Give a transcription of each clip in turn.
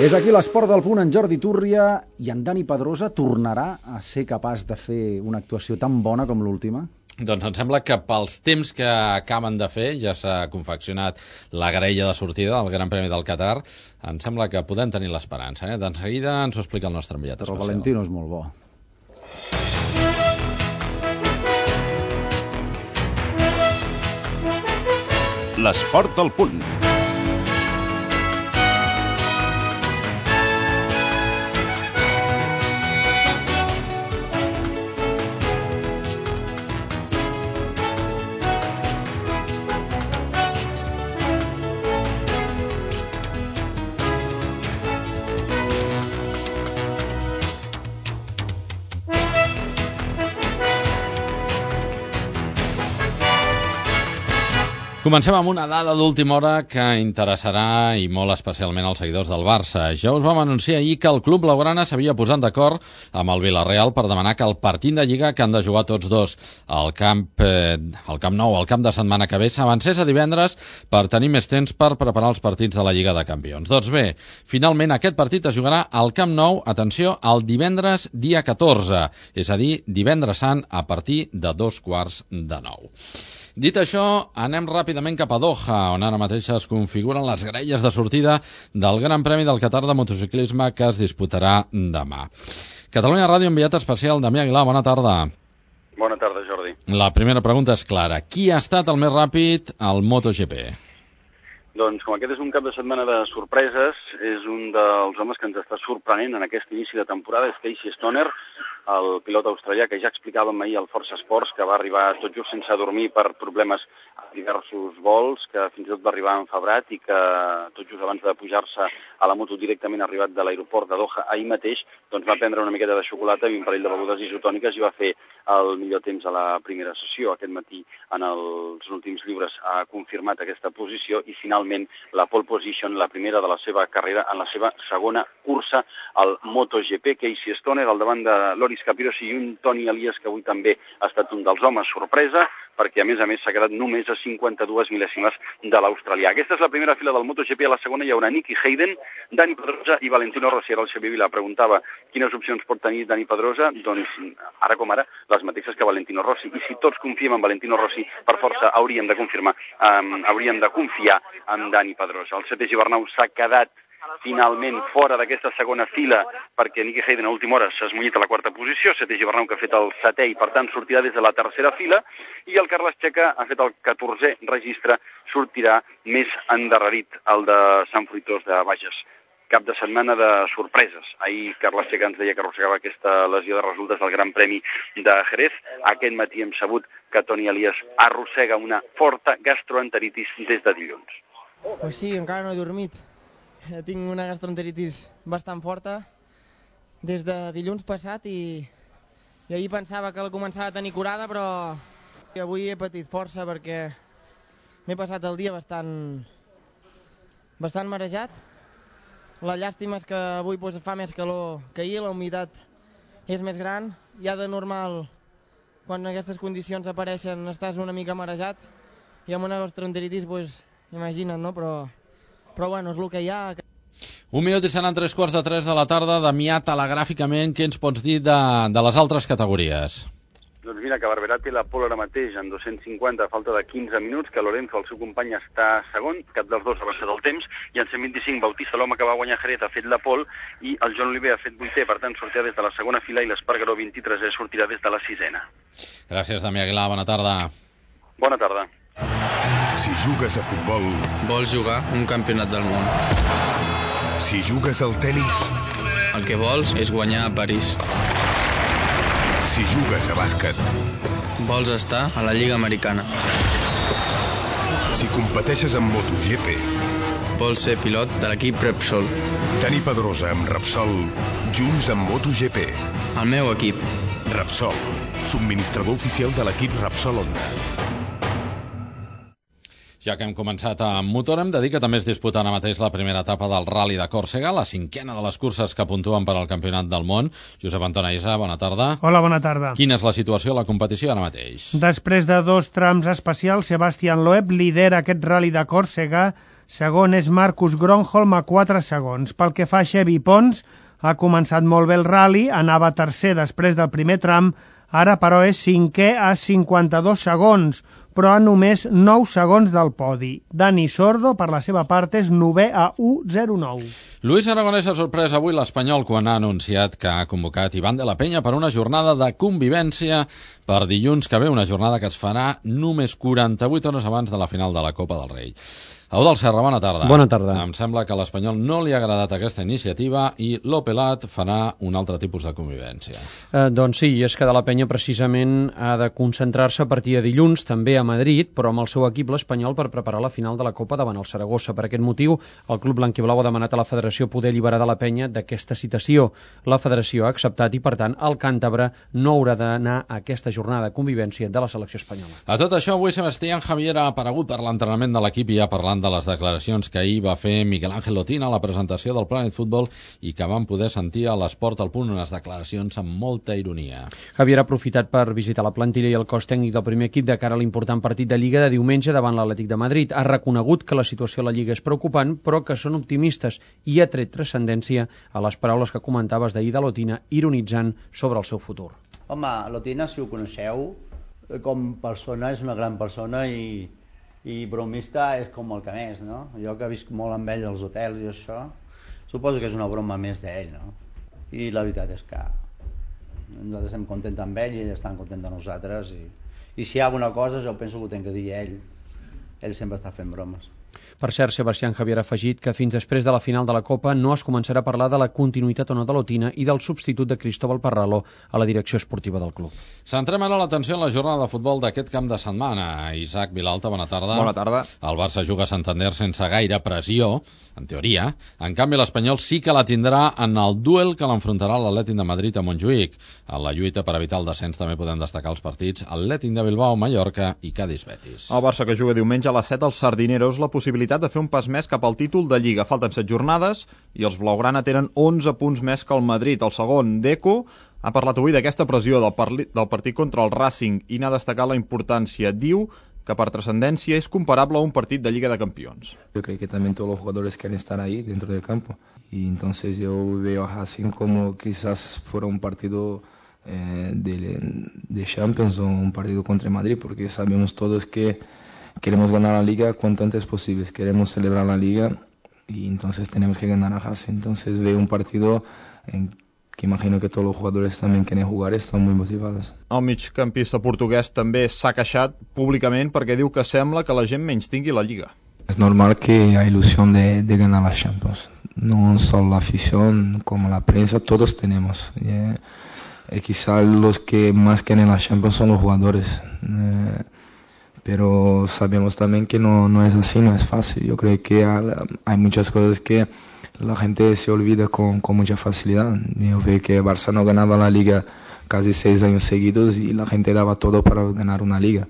És aquí l'Esport del Punt, en Jordi Túrria, i en Dani Pedrosa tornarà a ser capaç de fer una actuació tan bona com l'última? Doncs em sembla que pels temps que acaben de fer, ja s'ha confeccionat la graella de sortida del Gran Premi del Qatar, em sembla que podem tenir l'esperança. De seguida ens ho explica el nostre enviat especial. Però Valentino és molt bo. L'Esport del Punt. Comencem amb una dada d'última hora que interessarà i molt especialment als seguidors del Barça. Ja us vam anunciar ahir que el club blaugrana s'havia posat d'acord amb el Villarreal per demanar que el partit de Lliga que han de jugar tots dos al Camp Nou, al camp de setmana que ve, s'avancés a divendres per tenir més temps per preparar els partits de la Lliga de Campions. Doncs bé, finalment aquest partit es jugarà al Camp Nou, atenció, el divendres dia 14, és a dir, divendres sant a partir de 8:45. Dit això, anem ràpidament cap a Doha, on ara mateix es configuren les graelles de sortida del Gran Premi del Qatar de motociclisme que es disputarà demà. Catalunya Ràdio, enviat especial Damià Aguilar, bona tarda. Bona tarda, Jordi. La primera pregunta és clara. Qui ha estat el més ràpid al MotoGP? Doncs com aquest és un cap de setmana de sorpreses, és un dels homes que ens està sorprenent en aquest inici de temporada, és Casey Stoner, el pilot australià que ja explicàvem ahir al Força Esports, que va arribar tot just sense dormir per problemes a diversos vols, que fins i tot va arribar enfebrat i que tot just abans de pujar-se a la moto directament arribat de l'aeroport de Doha ahir mateix, doncs va prendre una miqueta de xocolata i un parell de begudes isotòniques i va fer el millor temps a la primera sessió. Aquest matí en els últims llibres ha confirmat aquesta posició i finalment la pole position, la primera de la seva carrera en la seva segona cursa al MotoGP. Casey Stoner al davant de Loris Capirossi i un Toni Elias que avui també ha estat un dels homes sorpresa, perquè a més s'ha quedat només a 52 mil·lèsimes de l'australià. Aquesta és la primera fila del MotoGP, a la segona hi haurà Nicky Hayden, Dani Pedrosa i Valentino Rossi. Ara el Xavier Vila preguntava quines opcions pot tenir Dani Pedrosa, doncs ara com ara les mateixes que Valentino Rossi, i si tots confiem en Valentino Rossi, per força hauríem de confiar en Dani Pedrosa. El setè Gibernau s'ha quedat finalment fora d'aquesta segona fila perquè Nicky Hayden a última hora s'ha esmollit a la quarta posició, setè Gibernau que ha fet el setè i per tant sortirà des de la tercera fila, i el Carles Checa ha fet el 14è registre, sortirà més endarrerit el de Sant Fruitós de Bages. Cap de setmana de sorpreses. Ahir Carles Checa ens deia que arrossegava aquesta lesió de resultes del Gran Premi de Jerez. Aquest matí hem sabut que Toni Elias arrossega una forta gastroenteritis des de dilluns. Pues sí, encara no he dormit. Tinc una gastroenteritis bastant forta des de dilluns passat i ahir pensava que la començava a tenir curada, però avui he patit força perquè m'he passat el dia bastant marejat. La llàstima és que avui fa més calor que ahir, la humitat és més gran. Ja de normal, quan aquestes condicions apareixen, estàs una mica marejat i amb una gastroenteritis, imagina't, no? Però bueno, és el que hi ha. 1 minut i seran 3:45 de la tarda. Damià, telegràficament, què ens pots dir de les altres categories? Doncs mira, que Barberà té la pole ara mateix en 250 a falta de 15 minuts, que Lorenzo, el seu company, està segon, cap dels dos ha avançat el temps, i en 125 Bautista, l'home que va guanyar Jerez, ha fet la pole, i el Joan Oliver ha fet 8è, per tant sortirà des de la segona fila, i l'Espargaró 23è sortirà des de la 6a. Gràcies, Damià Aguilar, bona tarda. Bona tarda. Si jugues a futbol... Vols jugar un campionat del món. Si jugues al tennis... El que vols és guanyar a París. Si jugues a bàsquet... Vols estar a la Lliga Americana. Si competeixes en MotoGP... Vols ser pilot de l'equip Repsol. Dani Pedrosa amb Repsol, junts amb MotoGP. El meu equip. Repsol, subministrador oficial de l'equip Repsol Honda. Ja que hem començat amb motor, hem de dir que també es disputa ara mateix la primera etapa del Rally de Còrsega, la 5a de les curses que puntuen per al Campionat del Món. Josep Anton Aisa, bona tarda. Hola, bona tarda. Quina és la situació a la competició ara mateix? Després de 2 trams especials, Sebastián Loeb lidera aquest Rally de Còrsega Segon és Marcus Gronholm a 4 segons. Pel que fa a Xevi Pons, ha començat molt bé el rally, anava tercer després del primer tram, ara però és cinquè a 52 segons, però a només 9 segons del podi. Dani Sordo, per la seva part, és 9è a 1:09. Luis Aragonès ha sorprès avui l'Espanyol quan ha anunciat que ha convocat Iván de la Peña per una jornada de convivència per dilluns que ve, una jornada que es farà només 48 hores abans de la final de la Copa del Rei. Eudald Serra, bona tarda. Bona tarda. Em sembla que a l'Espanyol no li ha agradat aquesta iniciativa i l'Opelat farà un altre tipus de convivència. Doncs sí, és que de la Penya precisament ha de concentrar-se a partir de dilluns, també a Madrid, però amb el seu equip l'Espanyol per preparar la final de la Copa davant el Saragossa. Per aquest motiu, el club blanquiblau ha demanat a la Federació poder alliberar de la Penya d'aquesta citació. La Federació ha acceptat i, per tant, el càntabre no haurà d'anar a aquesta jornada de convivència de la selecció espanyola. A tot això, avui Sebastián Javier ha aparegut per l'entrenament de l'equip i ha parlat de les declaracions que ahir va fer Miguel Ángel Lotina a la presentació del Planet Futbol i que van poder sentir a l'Esport al Punt, unes declaracions amb molta ironia. Javier ha aprofitat per visitar la plantilla i el cos tècnic del primer equip de cara a l'important partit de Lliga de diumenge davant l'Atlètic de Madrid. Ha reconegut que la situació a la Lliga és preocupant, però que són optimistes i ha tret transcendència a les paraules que comentaves d'ahir de Lotina, ironitzant sobre el seu futur. Home, Lotina, si ho coneixeu, com persona és una gran persona i bromista és com el que més, no? Jo que visc molt amb ell als hotels i això, suposo que és una broma més d'ell, no? I la veritat és que nosaltres estem contents amb ell i ell està content de nosaltres i si hi ha alguna cosa jo penso que ho tenc que dir a ell sempre està fent bromes. Per cert, Sebastián Javier ha afegit que fins després de la final de la Copa no es començarà a parlar de la continuïtat o no de Lotina i del substitut de Cristóbal Parralo a la direcció esportiva del club. Centrem ara l'atenció en la jornada de futbol d'aquest camp de setmana. Isaac Vilalta, bona tarda. Bona tarda. El Barça juga a Santander sense gaire pressió, en teoria. En canvi, l'Espanyol sí que la tindrà en el duel que l'enfrontarà l'Atlètic de Madrid a Montjuïc. En la lluita per evitar el descens també podem destacar els partits Atlètic de Bilbao, Mallorca i Cádiz-Betis. El Barça que juga diumenge a les 7 als Sardineros la possibilitat de fer un pas més cap al títol de Lliga. Falten 7 jornades i els blaugrana tenen 11 punts més que el Madrid. El segon, Deco, ha parlat avui d'aquesta pressió del partit contra el Racing i n'ha destacat la importància. Diu que per trascendència es comparable a un partit de Liga de Campeones. Yo creo que también todos los jugadores quieren estar ahí dentro del campo y entonces yo veo a Racing como quizás fuera un partido de Champions o un partido contra Madrid, porque sabemos todos que queremos ganar la Liga cuanto antes posible, queremos celebrar la Liga y entonces tenemos que ganar a Racing. Entonces veo un partido que imagino que todos los jugadores también quieren jugar, están muy motivados. El migcampista portuguès també s'ha queixat públicament perquè diu que sembla que la gent menys tingui la Lliga. Es normal que haya ilusión de ganar la Champions, no solo la afición como la prensa, todos tenemos. Quizá los que más quieren la Champions son los jugadores, pero sabemos también que no es así, no es fácil. Yo creo que hay muchas cosas que la gente se olvida con mucha facilidad. Yo veo que Barça no ganaba la Liga casi 6 años seguidos y la gente daba todo para ganar una Liga.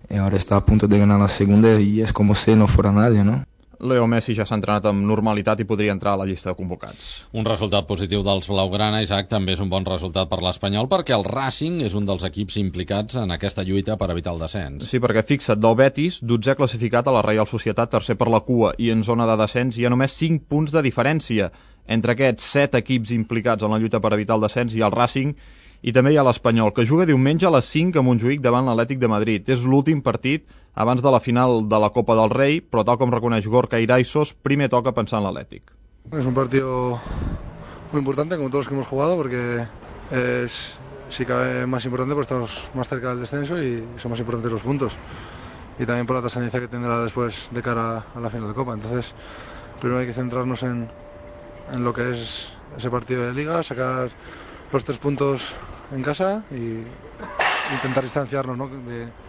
Y ahora está a punto de ganar la segunda y es como si no fuera nadie, ¿no? Leo Messi ja s'ha entrenat amb normalitat i podria entrar a la llista de convocats. Un resultat positiu dels blaugrana, Isaac, també és un bon resultat per l'Espanyol perquè el Racing és un dels equips implicats en aquesta lluita per evitar el descens. Sí, perquè fixa't, del Betis, 12è classificat a la Reial Societat, tercer per la cua i en zona de descens hi ha només 5 punts de diferència. Entre aquests 7 equips implicats en la lluita per evitar el descens hi ha el Racing i també hi ha l'Espanyol, que juga diumenge a les 5 a Montjuïc davant l'Atlètic de Madrid. És l'últim partit abans de la final de la Copa del Rei, però tal com reconeix Gorka Iraisos, primer toca pensar en l'Atlètic. Es un partido muy importante, como todos los que hemos jugado, porque es, si cabe, más importante porque estamos más cerca del descenso y son más importantes los puntos. Y también por la trascendencia que tendrá después de cara a la final de Copa. Entonces, primero hay que centrarnos en lo que es ese partido de Liga, sacar los 3 puntos en casa y intentar distanciarnos, ¿no?,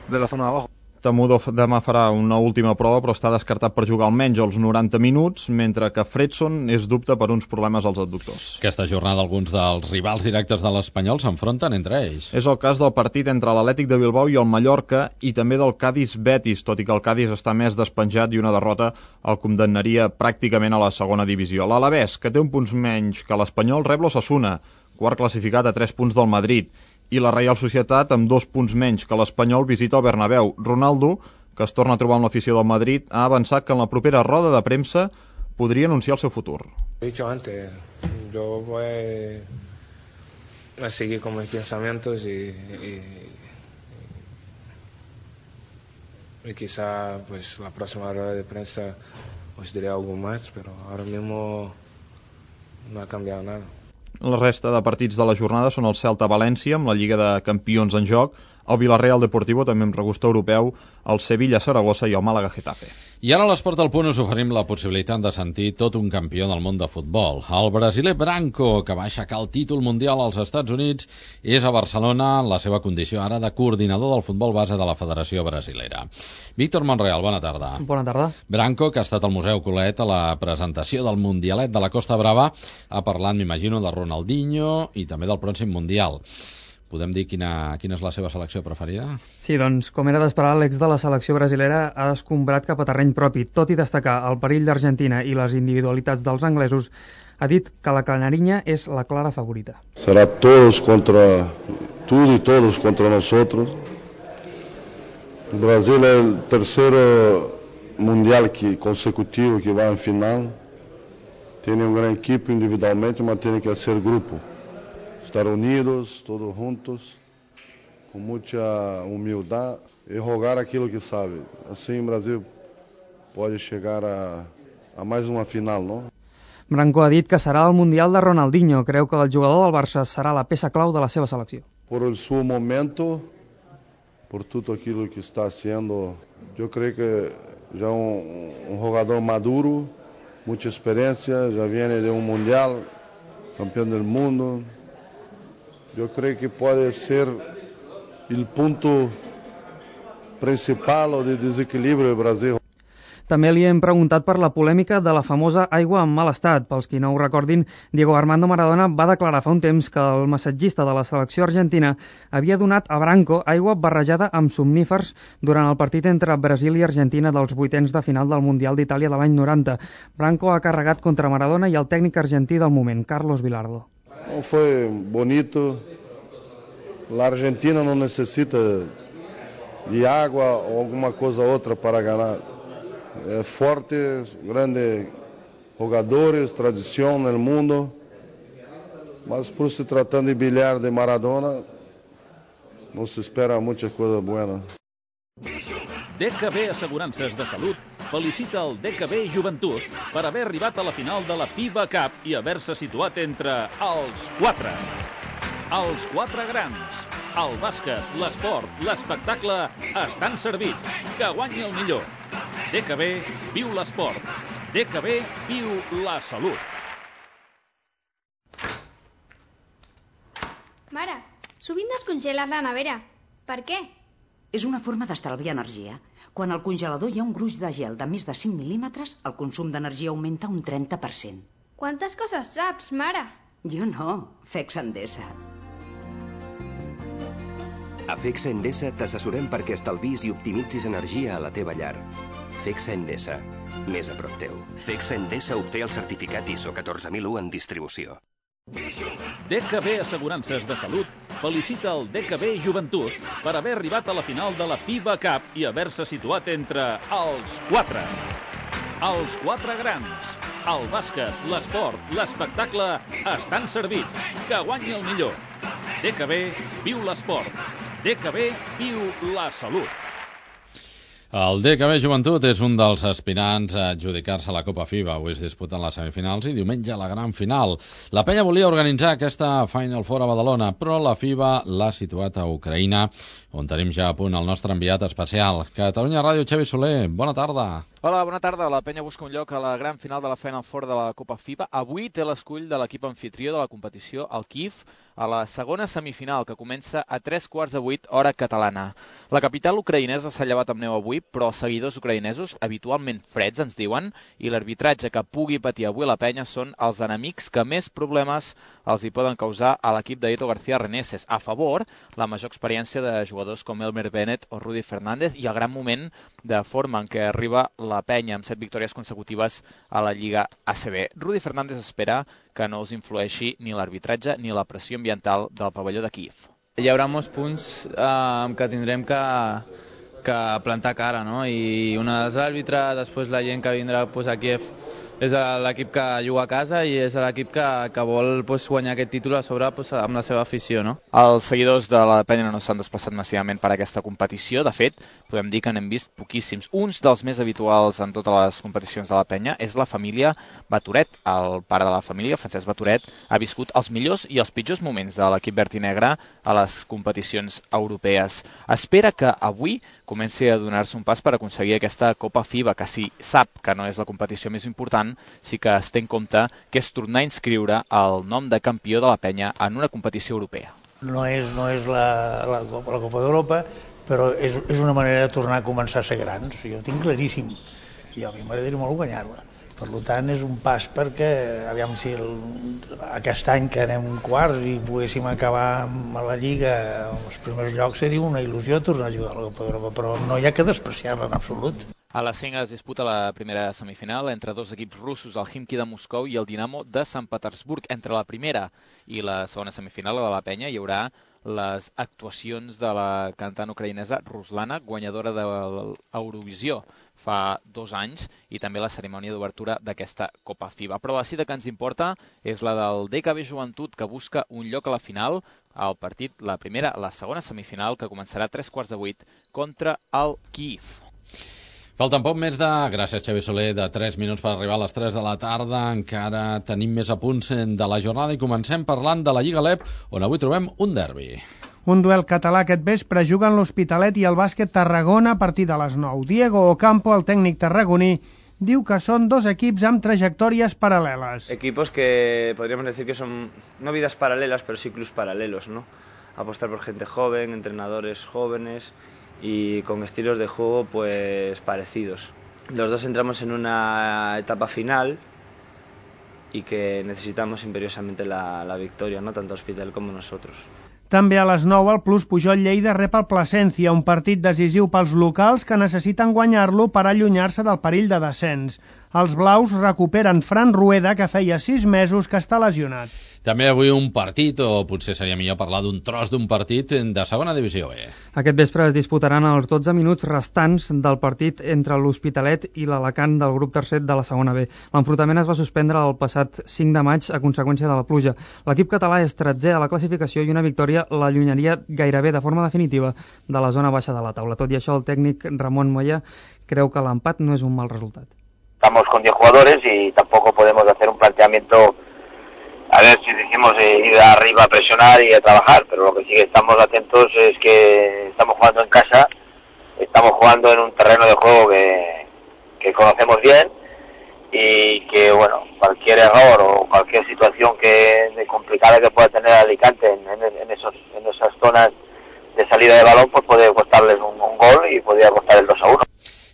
de la zona de abajo. Temudo demà farà una última prova, però està descartat per jugar almenys els 90 minuts, mentre que Fredson és dubte per uns problemes als adductors. Aquesta jornada alguns dels rivals directes de l'Espanyol s'enfronten entre ells. És el cas del partit entre l'Atlètic de Bilbao i el Mallorca i també del Cádiz-Betis, tot i que el Cádiz està més despenjat i una derrota el condemnaria pràcticament a la segona divisió. L'Alavés, que té un punts menys que l'Espanyol, rep l'Osasuna, quart classificat a 3 punts del Madrid, i la Reial Societat, amb 2 punts menys que l'Espanyol, visita el Bernabéu. Ronaldo que es torna a trobar amb l'afició del Madrid, ha avançat que en la propera roda de premsa podria anunciar el seu futur. He dicho antes, yo voy a seguir con mis pensamientos y quizá pues la próxima rueda de prensa os diré algo más, pero ahora mismo no ha cambiado nada. La resta de partits de la jornada són el Celta-València, amb la Lliga de Campions en joc, el Villarreal Deportivo, també amb regust europeu, el Sevilla-Saragossa i el Màlaga-Getafe. I ara a l'Esport al Punt us oferim la possibilitat de sentir tot un campió del món de futbol. El brasiler Branco, que va aixecar el títol mundial als Estats Units, és a Barcelona en la seva condició ara de coordinador del futbol base de la Federació Brasilera. Víctor Monreal, bona tarda. Bona tarda. Branco, que ha estat al Museu Colet a la presentació del Mundialet de la Costa Brava, ha parlat, m'imagino, de Ronaldinho i també del pròxim Mundial. Podem dir quina és la seva selecció preferida? Sí, doncs, com era d'esperar, l'ex de la selecció brasilera ha escombrat cap a terreny propi. Tot i destacar el perill d'Argentina i les individualitats dels anglesos, ha dit que la canariña és la clara favorita. Será todos contra nosotros. Brasil es el tercer mundial consecutivo que va en final. Tiene un gran equipo individualmente, mas tiene que ser grupo. Estar unidos, todos juntos, com muita humildade e rogar aquilo que sabe. Assim o Brasil pode chegar a mais uma final, não? Branco ha dit que serà el Mundial de Ronaldinho. Creu que el jugador del Barça serà la peça clau de la seva selecció. Por el seu momento, por tudo aquilo que está sendo, eu creio que já um jogador maduro, muita experiência, já vem de um Mundial, campeão do mundo. Eu creio que pode ser o ponto principal de desequilíbrio do Brasil. També li hem preguntat per la polèmica de la famosa aigua en mal estat. Pels qui no ho recordin, Diego Armando Maradona va declarar fa un temps que el massatgista de la selecció argentina havia donat a Branco aigua barrejada amb somnífers durant el partit entre Brasil i Argentina dels vuitens de final del Mundial d'Itàlia de l'any 90. Branco ha carregat contra Maradona i el tècnic argentí del moment, Carlos Bilardo. Não foi bonito. A Argentina não necessita de água ou alguma coisa outra para ganhar. É forte, grandes jogadores, tradição no mundo. Mas por se tratando de bilhar de Maradona, não se espera muita coisa boa. DKB Assegurances de Salut felicita el DKB Joventut per haver arribat a la final de la FIBA Cup i haver-se situat entre els 4. Els 4 grans. El bàsquet, l'esport, l'espectacle estan servits. Que guanyi el millor. DKB viu l'esport. DKB viu la salut. Mare, sovint descongeles la nevera. Per què? És una forma d'estalviar energia. Quan al congelador hi ha un gruix de gel de més de 5 mil·límetres, el consum d'energia augmenta un 30%. Quantes coses saps, mare? Jo no, FECSA Endesa. A FECSA Endesa t'assessorem perquè estalvis i optimitzis energia a la teva llar. FECSA Endesa, més a prop teu. FECSA Endesa obté el certificat ISO 14001 en distribució. DKB Assegurances de Salut felicita el DKB Joventut per haver arribat a la final de la FIBA Cup i haver-se situat entre els 4. Els 4 grans. El bàsquet, l'esport, l'espectacle estan servits. Que guanyi el millor. DKB viu l'esport. DKB viu la salut. El DKB Joventut és un dels aspirants a adjudicar-se a la Copa FIBA. Avui es disputen les semifinals i diumenge la gran final. La penya volia organitzar aquesta Final Four a Badalona, però la FIBA l'ha situat a Ucraïna, on tenim ja a punt el nostre enviat especial. Catalunya Ràdio, Xavi Soler, bona tarda. Hola, bona tarda. La penya busca un lloc a la gran final de la Final Four de la Copa FIBA. Avui té l'escull de l'equip anfitrió de la competició, el Kyiv, a la segona semifinal, que comença a 7:45 hora catalana. La capital ucraïnesa s'ha llevat amb neu avui, però els seguidors ucraïnesos, habitualment freds, ens diuen, i l'arbitratge que pugui patir avui la penya són els enemics que més problemes els hi poden causar a l'equip d'Eto García Reneses. A favor, la major experiència de jugadors com Elmer Bennett o Rudy Fernández i el gran moment de forma en què arriba la penya amb 7 victòries consecutives a la Lliga ACB. Rudy Fernández espera que no us influeixi ni l'arbitratge ni la pressió ambiental del pavelló de Kyiv. Hi haurà molts punts que tindrem que que plantar cara, no? I un dels àrbitres, després la gent que vindrà a Kiev, és l'equip que juga a casa i és l'equip que vol guanyar aquest títol a sobre amb la seva afició, no? Els seguidors de la Penya no s'han desplaçat massivament per a aquesta competició. De fet, podem dir que n'hem vist poquíssims. Uns dels més habituals en totes les competicions de la Penya és la família Batoret. El pare de la família, Francesc Batoret, ha viscut els millors i els pitjors moments de l'equip verd i negre a les competicions europees. Espera que avui comenci a donar-se un pas per aconseguir aquesta Copa FIBA, que si sap que no és la competició més important, sí que es té en compte que és tornar a inscriure el nom de campió de la Penya en una competició europea. No és la Copa d'Europa, però és una manera de tornar a començar a ser grans. Jo ho tinc claríssim. I a mi m'agradaria molt guanyar-la. Per tant, és un pas perquè, aviam si aquest any que anem quarts i poguéssim acabar a la Lliga els primers llocs, seria una il·lusió tornar a jugar a la Copa d'Europa, però no hi ha que despreciar-la en absolut. A les 5 es disputa la primera semifinal entre dos equips russos, el Khimki de Moscou i el Dinamo de Sant Petersburg. Entre la primera i la segona semifinal de la Penya hi haurà les actuacions de la cantant ucraïnesa Ruslana, guanyadora de l'Eurovisió fa 2 anys, i també la cerimònia d'obertura d'aquesta Copa FIBA. Però la cita que ens importa és la del DKB Joventut, que busca un lloc a la final, al partit, la segona semifinal, que començarà a 7:45 contra el Kyiv. Falten poc més gràcies Xavi Soler, de 3 minuts per arribar a les 3 de la tarda. Encara tenim més apunts de la jornada i comencem parlant de la Lliga LEP, on avui trobem un derbi. Un duel català aquest vespre juguen l'Hospitalet i el Bàsquet Tarragona a partir de les 9. Diego Ocampo, el tècnic tarragoní, diu que són dos equips amb trajectòries paral·leles. Equipos que podríamos decir que son no vidas paralelas, pero sí clubs paralelos, ¿no? Apostar por gente joven, entrenadores jóvenes y con estilos de juego pues parecidos. Los dos entramos en una etapa final y que necesitamos imperiosamente la victoria, ¿no? Tanto Hospital como nosotros. També a les 9 el Plus Pujol Lleida rep el Plasencia, un partit decisiu pels locals que necessiten guanyar-lo per allunyar-se del perill de descens. Els blaus recuperen Fran Rueda, que feia 6 mesos que està lesionat. També avui un partit, o potser seria millor parlar d'un tros d'un partit de segona divisió B. Aquest vespre es disputaran els 12 minuts restants del partit entre l'Hospitalet i l'Alacant del grup tercer de la segona B. L'enfrontament es va suspendre el passat 5 de maig a conseqüència de la pluja. L'equip català és 13è a la classificació i una victòria l'allunyaria gairebé de forma definitiva de la zona baixa de la taula. Tot i això, el tècnic Ramon Moya creu que l'empat no és un mal resultat. Estamos con 10 jugadores y tampoco podemos hacer un planteamiento. A ver si decimos ir arriba a presionar y a trabajar, pero lo que sí que estamos atentos es que estamos jugando en casa, estamos jugando en un terreno de juego que conocemos bien y que, bueno, cualquier error o cualquier situación complicada que pueda tener Alicante en esas zonas de salida de balón, pues puede costarles un gol y podría costar el 2-1.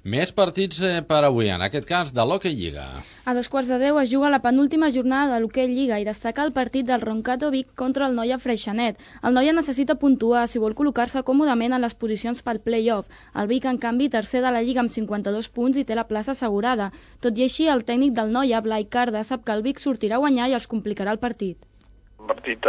Més partits per avui, en aquest cas de l'Hockey Lliga. A 2:15 es juga la penúltima jornada de l'Hockey Lliga i destaca el partit del Roncato Vic contra el Noia Freixenet. El Noia necessita puntuar si vol col·locar-se còmodament en les posicions pel play-off. El Vic, en canvi, tercer de la Lliga amb 52 punts i té la plaça assegurada. Tot i així, el tècnic del Noia, Blai Carda, sap que el Vic sortirà a guanyar i els complicarà el partit. Un partit,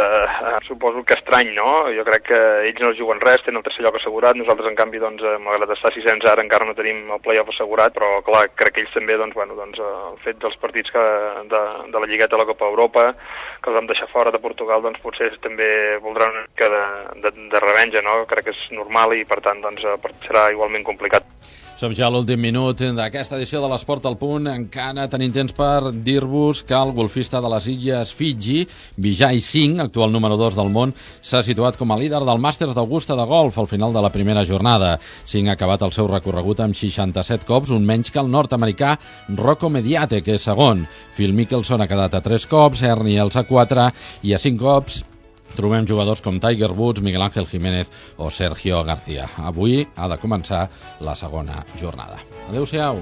suposo que estrany, no? Jo crec que ells no juguen res, tenen el tercer lloc assegurat, nosaltres en canvi, malgrat estar 600 ara encara no tenim el play-off assegurat, però clar, crec que ells també, el fet dels partits de la Lligueta de la Copa Europa, que els vam deixar fora de Portugal, potser també voldran una mica de revenja, no? Crec que és normal i per tant serà igualment complicat. Som ja a l'últim minut d'aquesta edició de l'Esport al Punt. Encara tenim temps per dir-vos que el golfista de les Illes Fiji, Vijay Singh, actual número 2 del món, s'ha situat com a líder del Màsters d'Augusta de golf al final de la primera jornada. Singh ha acabat el seu recorregut amb 67 cops, un menys que el nord-americà Rocco Mediate, que és segon. Phil Mickelson ha quedat a 3 cops, Ernie Els a 4 i a 5 cops trobem jugadors com Tiger Woods, Miguel Ángel Jiménez o Sergio García. Avui ha de començar la segona jornada. Adéu-siau.